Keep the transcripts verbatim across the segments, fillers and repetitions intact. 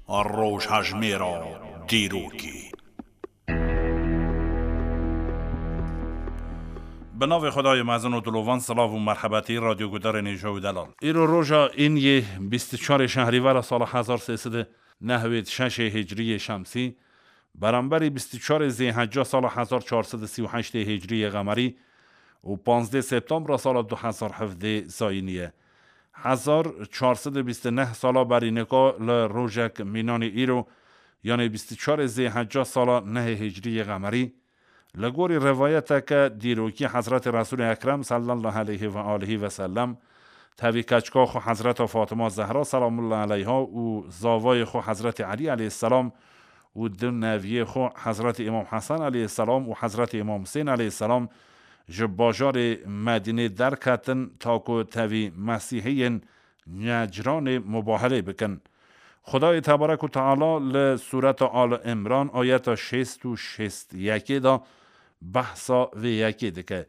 Rojhejmêra dîrokê. Bi navê Xwedayê mezin û dilovan, silav û merhebetî radyogudarên hêja û delal. Îro roja îniyê bîst û çarê şehrîvera sala hezar sê sed û nehwêd şeşê hicriyê şemsî, beramberî bîst û çarê zêhecca sala hezar çar sed û sî û heştê hicriyê qemerî û panzdê septembra sala du hezar hevdê zayînî ye. Hezar çar sed û bîst û neh sala berî nika li rojek mînanî îro, yanê bîst û çarê zêhecca sala nehê hicriyê qemerî, li gorî rivayeteke dîrokî Hezretî Resûlê Ekrem sallallahu aleyhi ve alihi ve sellem, tevî keçika xwe Hezreta Fatima Zehra selamullahi aleyha û zavayê xwe Hezretî Elî aleyhisselam û du neviyê xwe Hezretî Îmam Hesen aleyhisselam û Hezretî Îmam Husên aleyhisselam ji bajarê Medînê derketin ta ku tevî Mesîhiyên Necranê mubahelê bikin. Xwedayê Tebarek û Teala li Sûreta Ali Îmran ayeta şêst û şêst yekê de behsa vê yekê dike.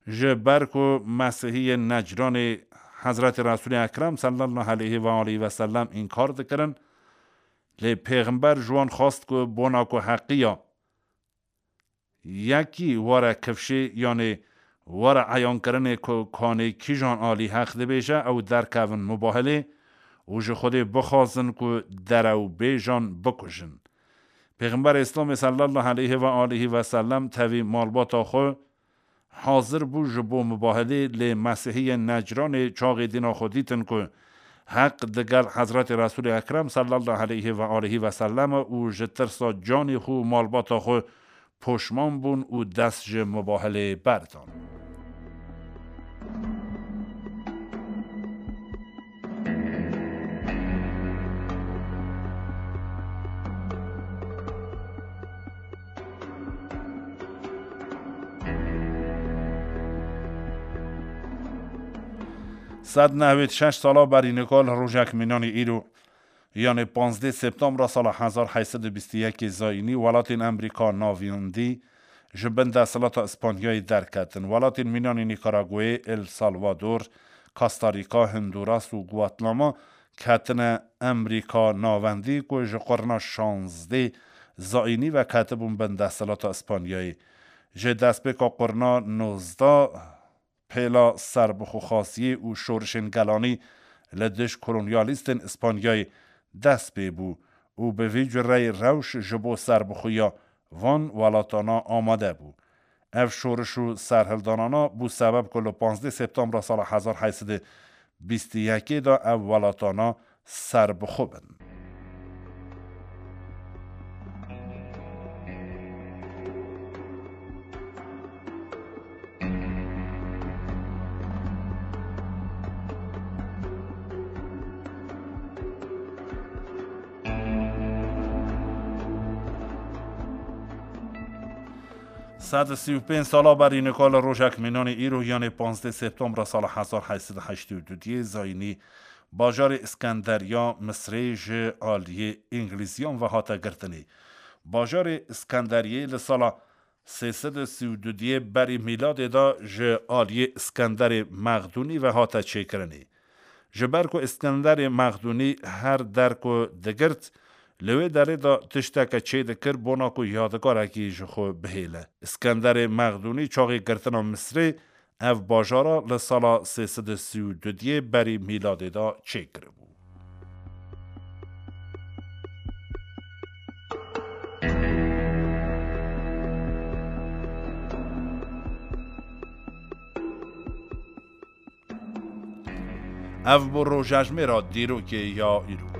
Ji ber ku Mesîhiyên Necranê Hezretî Resûlê Ekrem sallallahu aleyhi ve alihi ve sellem înkar dikirin, lê Pêxember ji wan xwest ku bona ku heqiya yekî were kifşê, yanê were eyankirinê ku kanê kîjan alî heq dibêje, ew derkevin mubahelê û ji Xwedê bixwazin ku derewbêjan bikujin. Pêxember Îslamê sallallahu aleyhi ve alihi ve sellem tevî malbata xwe hazir bû ji bo mubahelê, lê Mesîhiyên Necranê çaxê dîna xwe dîtin ku heq digel Hezretî Resûlê Ekrem sallallahu aleyhi ve alihi ve sellem e û ji tirsa canê xwe û malbata xwe poşman bûn û dest ji mubahelê berdan. Sed nehwêd şeş sala berî nika li rojek mînanî îro, yanê panzdeh septembra sala hezar heyt sed û bîst û yekê zayînî, welatên Emrîka Navendî ji bin desthilata Îspanyayê derketin. Welatên mînanî Nîkaraguayê, El Salvador, Costa Rica, Honduras û Guatemala ketine Emrîka Navendî ku ji qurna şazdeh zayînî ve ketibûn bin desthilata Îspanyayê. Ji destpêka qurna nozdeh pêla serbixwexwaziyê û şorişên gelanî li dij kolonyalîstên Îspanyayê dest pê bû û bi vî cureyî rewş ji bo serbixweya van welatana amade bû. Ev şoriş û serhildanana bû sebeb ku li panzdeh septembra sala hezar heyt sed û bîst û yekê de ev welatana serbixwe bin. Sed û sî û pênc sala berî nika li rojek mînanê îro, yanê panzdeh septembra sala hezar heyt sed û heştê û du diyê zayînî, bajarê Îskenderiya Misrê ji aliyê Îngilîziyan ve hate girtinê. Bajarê Îskenderiyê li sala sê sed û sî û du diyê berî mîladê de ji aliyê Îskenderê Mexdûnî ve hate çêkirinê. Ji ber ku Îskenderê Mexdûnî her der ku digirt, li wê derê de tişteke çêdikir bona ku yadigarekî ji xwe bihêle. Îskenderê Mexdûnî çaxê girtina Misrê ev bajara li sala sê sed û sî û du diyê berî mîladê de çêkiribû. Ev bû rojejmêra dîrokê ya îro.